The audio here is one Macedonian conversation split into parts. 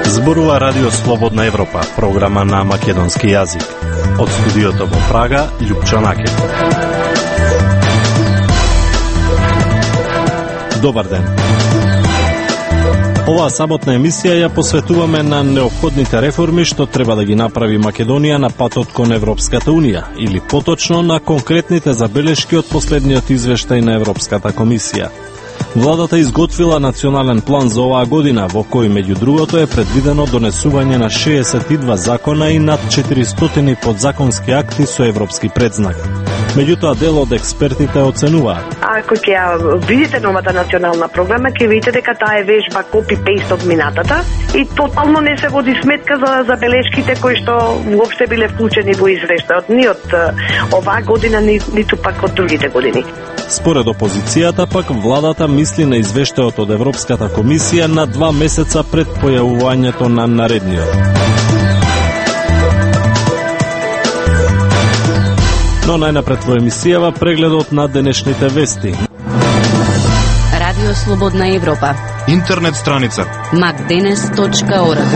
Зборува Радио Слободна Европа, програма на македонски јазик. Од студиото во Прага, Љупчо Накев. Добар ден. Оваа саботна емисија ја посветуваме на неопходните реформи што треба да ги направи Македонија на патот кон Европската Унија, или поточно на конкретните забелешки од последниот извештај на Европската комисија. Владата изготвила национален план за оваа година, во кој меѓу другото е предвидено донесување на 62 закона и над 400 подзаконски акти со европски предзнак. Меѓутоа, дел од експертите оценуваат. Ако ќе ја видите новата национална програма, ќе видите дека таа е вежба копи-пейст од минатата и тотално не се води сметка за забелешките кои што воопште биле вклучени во извештајот, ни од оваа година, ниту пак од другите години. Според опозицијата, пак владата мисли на извештајот од Европската комисија на 2 месеца пред појавувањето на наредниот. Но најнапред во емисијава прегледот на денешните вести. Радио Слободна Европа. Интернет страница macdenes.org.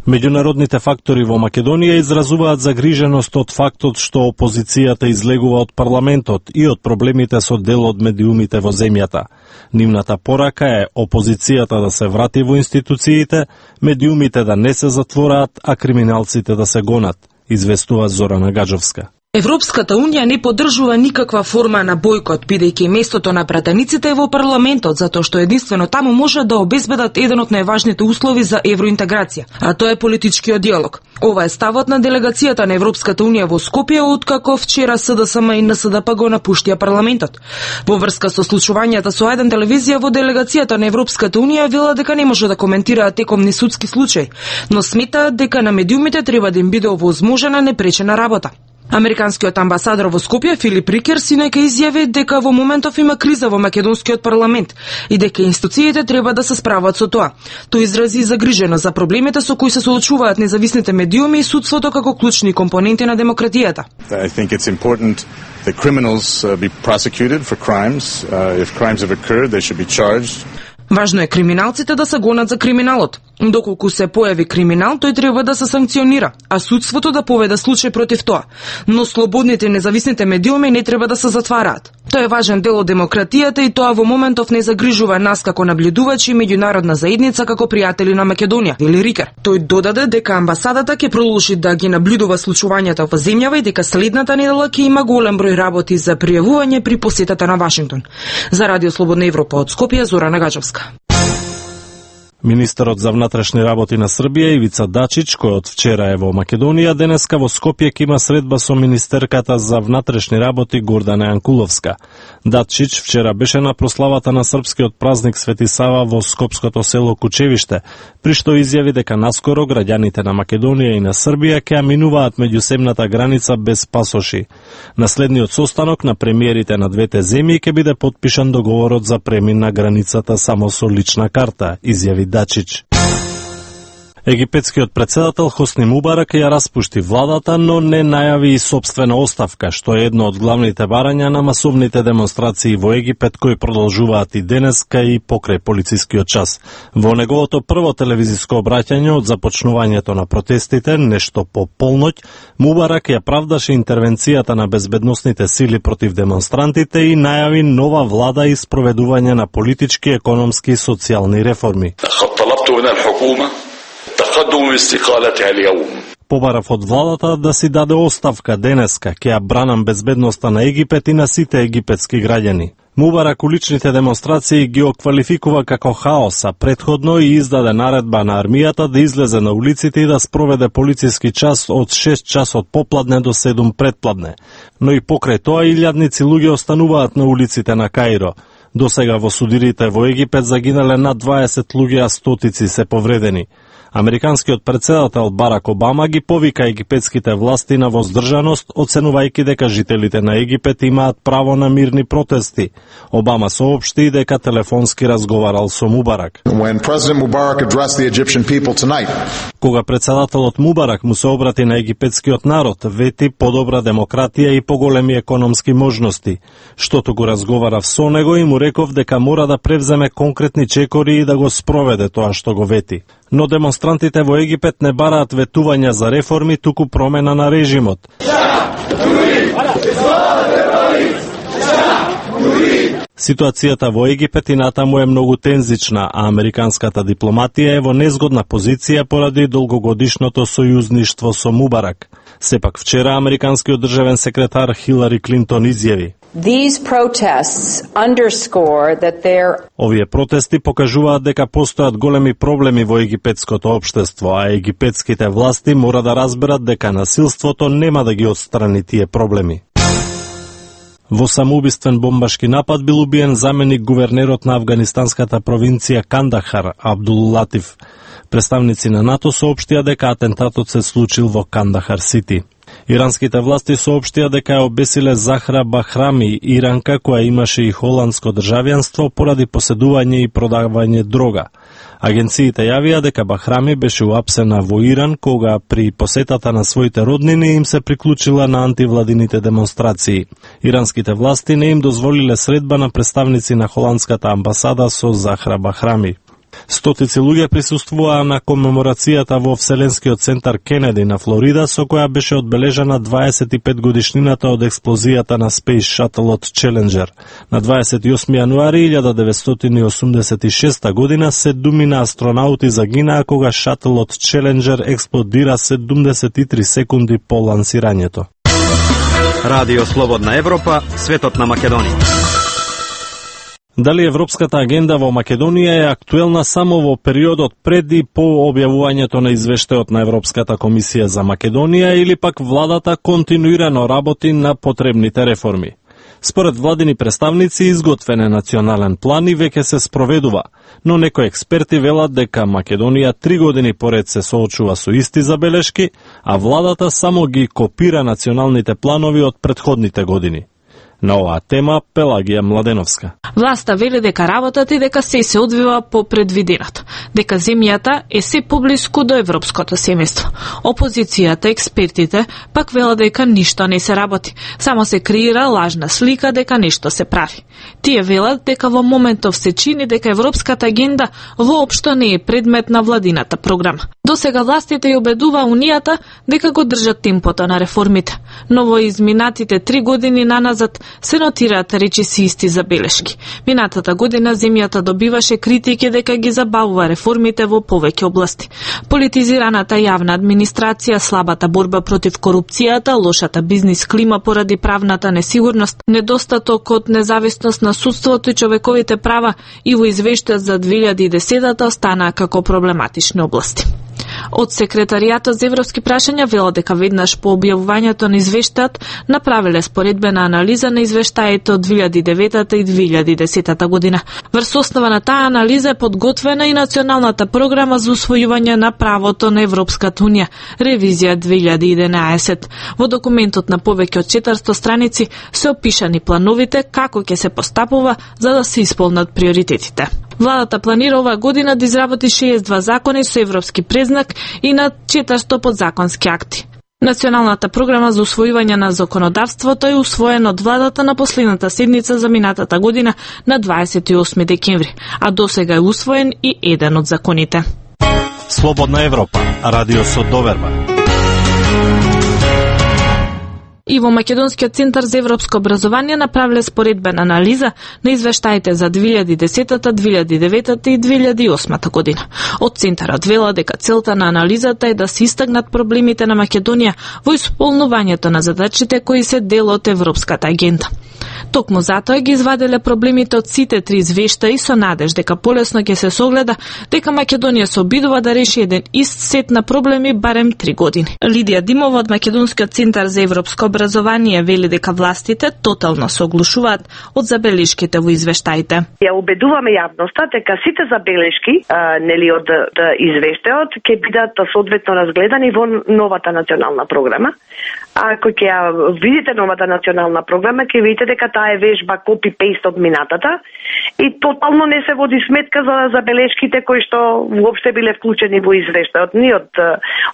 Меѓународните фактори во Македонија изразуваат загриженост од фактот што опозицијата излегува од парламентот и од проблемите со дел од медиумите во земјата. Нивната порака е опозицијата да се врати во институциите, медиумите да не се затвораат, а криминалците да се гонат, известува Зорана Гаджовска. Европската Унија не поддржува никаква форма на бојкот, бидејќи местото на пратениците е во парламентот, затоа што единствено таму може да обезбедат еден од најважните услови за евроинтеграција, а тоа е политичкиот диалог. Ова е ставот на делегацијата на Европската Унија во Скопје, откако вчера СДСМ и НСДП го напуштија парламентот. Во врска со случувањата со еден телевизија во делегацијата на Европската Унија вела дека не може да коментираат текомни судски случаи, но сметаат дека на медиумите треба да им биде овозможена непречена работа. Американскиот амбасадор во Скопје Филип Рикер синајка изјави дека во моментов има криза во македонскиот парламент и дека институциите треба да се справат со тоа. Тој изрази загриженост за проблемите со кои се соочуваат независните медиуми и судството како клучни компоненти на демократијата. I think it's important that criminals be prosecuted for crimes. If crimes have occurred, they should be charged. Важно е криминалците да се гонат за криминалот. Доколку се појави криминал, тој треба да се санкционира, а судството да поведе случај против тоа. Но слободните и независните медиуми не треба да се затвараат. Тоа е важен дел од демократијата и тоа во моментов не загрижува нас како наблюдувачи и меѓународна заедница како пријатели на Македонија, вели Рикер. Тој додаде дека амбасадата ќе продолжи да ги наблюдува случувањата во земјава и дека следната недела ќе има голем број работи за пријавување при посетата на Вашингтон. За Радио Слободна Европа од Скопје, Зорана Гаджовска. Министерот за внатрешни работи на Србија Ивица Дачич, кој од вчера е во Македонија, денеска во Скопје ќе има средба со министерката за внатрешни работи Гордана Јанкуловска. Дачич вчера беше на прославата на српскиот празник Свети Сава во скопското село Кучевиште, при што изјави дека наскоро граѓаните на Македонија и на Србија ќе минуваат меѓусебната граница без пасоши. На следниот состанок на премиерите на двете земји ќе биде потпишан договорот за премин на границата само со лична карта, изјави Дачич. Египетскиот председател Хосни Мубарак ја распушти владата, но не најави и собствена оставка, што е едно од главните барања на масовните демонстрации во Египет кои продолжуваат и денеска и покрај полицискиот час. Во неговото прво телевизиско обраќање од започнувањето на протестите, нешто по полноќ, Мубарак ја правдаше интервенцијата на безбедносните сили против демонстрантите и најави нова влада и спроведување на политички, економски и социјални реформи. Побарав од владата да си даде оставка денеска, ќе ја бранам безбедноста на Египет и на сите египетски граѓани. Мубарак уличните демонстрации ги оквалификува како хаос, а предходно и издаде наредба на армијата да излезе на улиците и да спроведе полициски час од 6 часот попладне до 7 предпладне. Но и покрај тоа илјадници луѓе остануваат на улиците на Каиро. Досега во судирите во Египет загинале над 20 луѓе, а стотици се повредени. Американскиот председател Барак Обама ги повика египетските власти на воздржаност, оценувајќи дека жителите на Египет имаат право на мирни протести. Обама соопшти дека телефонски разговарал со Мубарак. Кога председателот Мубарак му се обрати на египетскиот народ, вети подобра демократија и поголеми економски можности, штото го разговарав со него и му реков дека мора да превземе конкретни чекори и да го спроведе тоа што го вети. Но демонстрантите во Египет не бараат ветувања за реформи, туку промена на режимот. Ситуацијата во Египет и натаму е многу тензична, а американската дипломатија е во незгодна позиција поради долгогодишното сојузништво со Мубарак. Сепак вчера американскиот државен секретар Хилари Клинтон изјави: Овие протести покажуваат дека постојат големи проблеми во египетското општество, а египетските власти мора да разберат дека насилството нема да ги отстрани тие проблеми. Во самоубиствен бомбашки напад бил убиен заменик гувернерот на афганистанската провинција Кандахар, Абдул Латиф. Представници на НАТО соопштија дека атентатот се случил во Кандахар Сити. Иранските власти соопштија дека ја обесиле Захра Бахрами, иранка која имаше и холандско државјанство поради поседување и продавање дрога. Агенциите јавија дека Бахрами беше уапсена во Иран кога при посетата на своите роднини им се приклучила на антивладините демонстрации. Иранските власти не им дозволиле средба на представници на холандската амбасада со Захра Бахрами. Стотици луѓе присуствуваа на комеморацијата во Вселенскиот центар Кенеди на Флорида, со која беше одбележана 25 годишнината од експлозијата на Space Shuttle-от Challenger. На 28 јануари 1986 година 7 астронаути загинаа кога шателот Challenger експлодира 73 секунди по лансирањето. Радио Слободна Европа, светот на Македонија. Дали европската агенда во Македонија е актуелна само во периодот пред и по објавувањето на извештајот на Европската комисија за Македонија или пак владата континуирано работи на потребните реформи? Според владини представници, изготвен е национален план и веќе се спроведува, но некои експерти велат дека Македонија 3 години поред се соочува со исти забелешки, а владата само ги копира националните планови од претходните години. На оваа тема Пелагија Младеновска. Власта вели дека работата и дека се одвива по предвиденото, дека земјата е се поблиску до европското семејство. Опозицијата, експертите, пак велат дека ништо не се работи, само се креира лажна слика дека нешто се прави. Тие велат дека во моментов се чини дека европската агенда воопшто не е предмет на владината програма. Досега властите ја убедува Унијата дека го држат темпото на реформите, но во изминатите 3 години наназад се нотираат речиси исти забелешки. Минатата година земјата добиваше критики дека ги забавува реформите во повеќе области. Политизираната јавна администрација, слабата борба против корупцијата, лошата бизнис клима поради правната несигурност, недостатокот независност на судството и човековите права и во извештајот за 2010 останаа како проблематични области. Од Секретаријатот за европски прашања велат дека веднаш по објавувањето на извештајот направиле споредбена анализа на извештаите од 2009 и 2010 година. Врз основа на таа анализа е подготвена и националната програма за усвојување на правото на Европската унија, ревизија 2011. Во документот на повеќе од 400 страници се опишани плановите како ќе се постапува за да се исполнат приоритетите. Владата планира оваа година да изработи 62 закони со европски презнак и на 400 подзаконски акти. Националната програма за усвојување на законодавството е усвоена од владата на последната седница за минатата година на 28 декември, а досега е усвоен и еден од законите. Слободна Европа, радио со доверба. И во Македонскиот центар за европско образование направиле споредбена анализа на извештаите за 2010, 2009 и 2008 година. Од центарот вела дека целта на анализата е да се истакнат проблемите на Македонија во исполнувањето на задачите кои се дел од европската агенда. Токму затоа ги изваделе проблемите од сите 3 извештаи со надеж дека полесно ќе се согледа дека Македонија се обидува да реши еден ист сет на проблеми барем 3 години. Лидија Димова од Македонскиот центар за европско образование образование вели дека властите тотално се оглушуваат од забелешките во извештаите. Ја убедуваме јавноста дека сите забелешки од извештајот ќе бидат соодветно разгледани во новата национална програма. Ако ќе ја видите новата национална програма, ќе видите дека таа е вежба копи-пейст од минатата и тотално не се води сметка за забелешките кои што воопште биле вклучени во извештајот ни од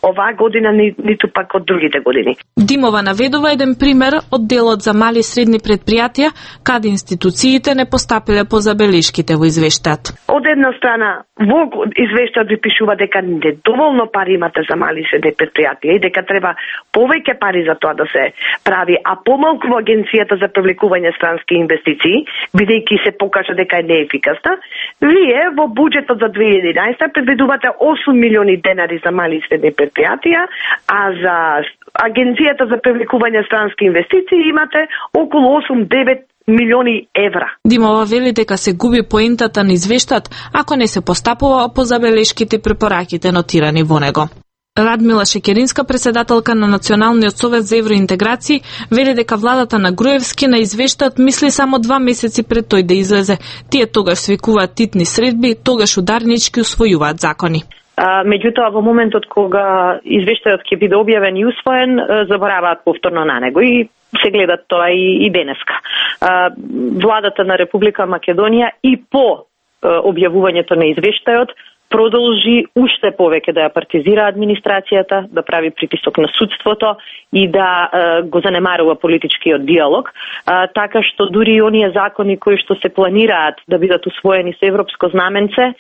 оваа година, ниту пак од другите години. Димова наведува еден пример од делот за мали и средни предпријатија, каде институциите не постапиле по забелешките во извештајот. Од една страна, во извештајот ви пишува дека недоволно пари имате за мали и средни предпријатија и дека треба повеќе пари за тоа да се прави, а помалку во Агенцијата за привлекување странски инвестиции, бидејќи се покажа дека е неефикасна. Вие во буџетот за 2011 предвидувате 8 милиони денари за мали и средни предпријатија, а за Агенцијата за привлекување странски инвестиции имате околу 8-9 милиони евра. Димова вели дека се губи поентата на извештајот ако не се постапува по забелешките и препораките нотирани во него. Радмила Шекеринска, председателка на Националниот совет за евроинтеграција, вели дека владата на Груевски на извештајот мисли само 2 месеци пред тој да излезе. Тие тогаш свикуваат титни средби, тогаш ударнички усвојуваат закони. Меѓутоа, во моментот кога извештајот ќе биде објавен и усвоен, забораваат повторно на него и се гледат тоа и денеска. Владата на Република Македонија и по објавувањето на извештајот продолжи уште повеќе да ја партизира администрацијата, да прави притисок на судството и да го занемарува политичкиот диалог, така што дури и оние закони кои што се планираат да бидат усвоени со европско знаменце,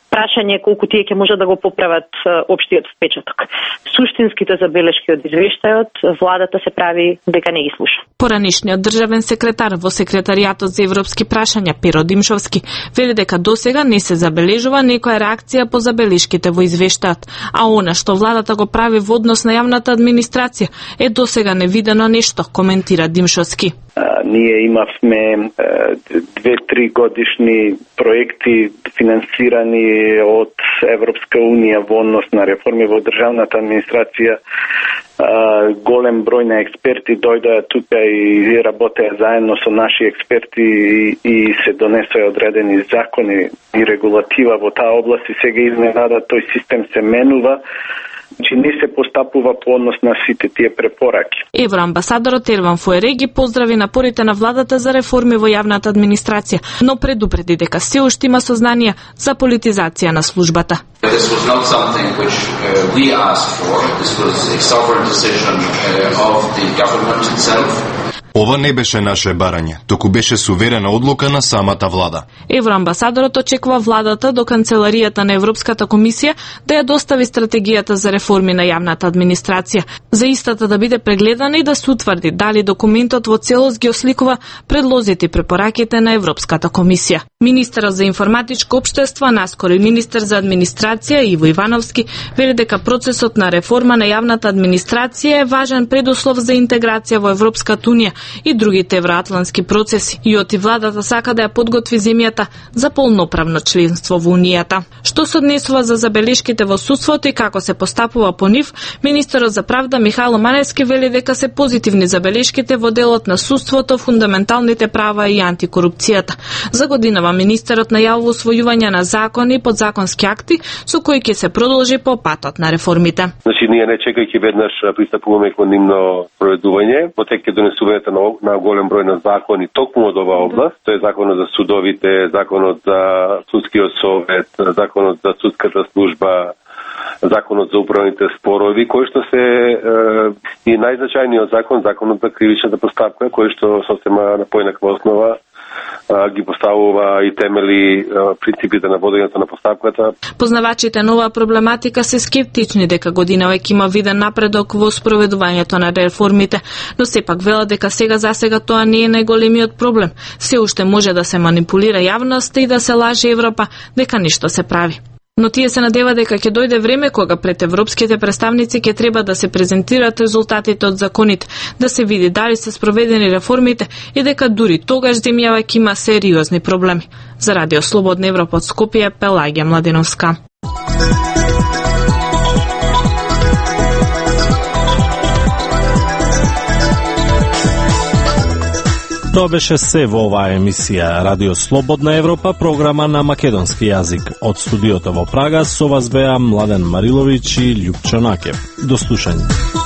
прашање колку тие ќе може да го поправат општиот впечаток. Суштинските забелешки од извештајот, владата се прави дека не ги слуша. Поранишниот државен секретар во секретаријатот за европски прашања Перо Димшовски вели дека досега не се забележува некоја реакција по забелешките во извештајот, а она што владата го прави во однос на јавната администрација е досега невидено нешто, коментира Димшовски. Ние имавме 2-3 годишни проекти финансирани од Европска Унија во однос на реформи во државната администрација. Голем број на експерти дојдоа тука и работеа заедно со наши експерти и се донесоа одредени закони и регулатива во таа област и сега изненада тој систем се менува. Че не се постапува по однос на сите тие препораки. Евроамбасадорот Ерван Фуереги поздрави напорите на владата за реформи во јавната администрација, но предупреди дека се уште има сознание за политизација на службата. This was not something which we asked for. This was a sovereign decision of the government itself. Ова не беше наше барање, току беше суверена одлука на самата влада. Евроамбасадорот очекува владата до Канцеларијата на Европската комисија да ја достави стратегијата за реформи на јавната администрација, за истата да биде прегледана и да се утврди дали документот во целост ги осликува предлозите и препораките на Европската комисија. Министерот за информатичко општество, наскоро и министер за администрација Иво Ивановски, вели дека процесот на реформа на јавната администрација е важен предуслов за интеграција во Европската унија и другите евроатлантски процеси и оти владата сака да ја подготви земјата за полноправно членство во Унијата. Што се однесува за забелешките во судството и како се постапува по нив, министерот за правда Михајло Маневски вели дека се позитивни забелешките во делот на судството, фундаменталните права и антикорупцијата. За годинава министерот најавува усвојување на закони и подзаконски акти со кои ќе се продолжи по патот на реформите. Значи ние не чекајќи веднаш пристапуваме кон нивно проведување, потеќе донесувањето на голем број на закони токму од оваа област. Тоа е законот за судовите, законот за судскиот совет, законот за судската служба, законот за управните спорови, кој што се и најзначајниот закон, законот за кривичната постапка, кој што сосема на поинаква основа ги поставува и темели принципите на водењето на постапката. Познавачите на оваа проблематика се скептични дека година веќе има виден напредок во спроведувањето на реформите, но сепак велат дека засега тоа не е најголемиот проблем. Се уште може да се манипулира јавноста и да се лаже Европа дека ништо се прави. Но тие се надева дека ќе дојде време кога пред европските представници ќе треба да се презентираат резултатите од законите, да се види дали се спроведени реформите и дека дури тогаш земјава ќе има сериозни проблеми. За Радио Слободна Европа од Скопје, Пелагија Младеновска. Тоа беше се во оваа емисија Радио Слободна Европа, програма на македонски јазик. Од студиото во Прага со вас беа Младен Мариловиќ и Љупчо Накев. До слушање.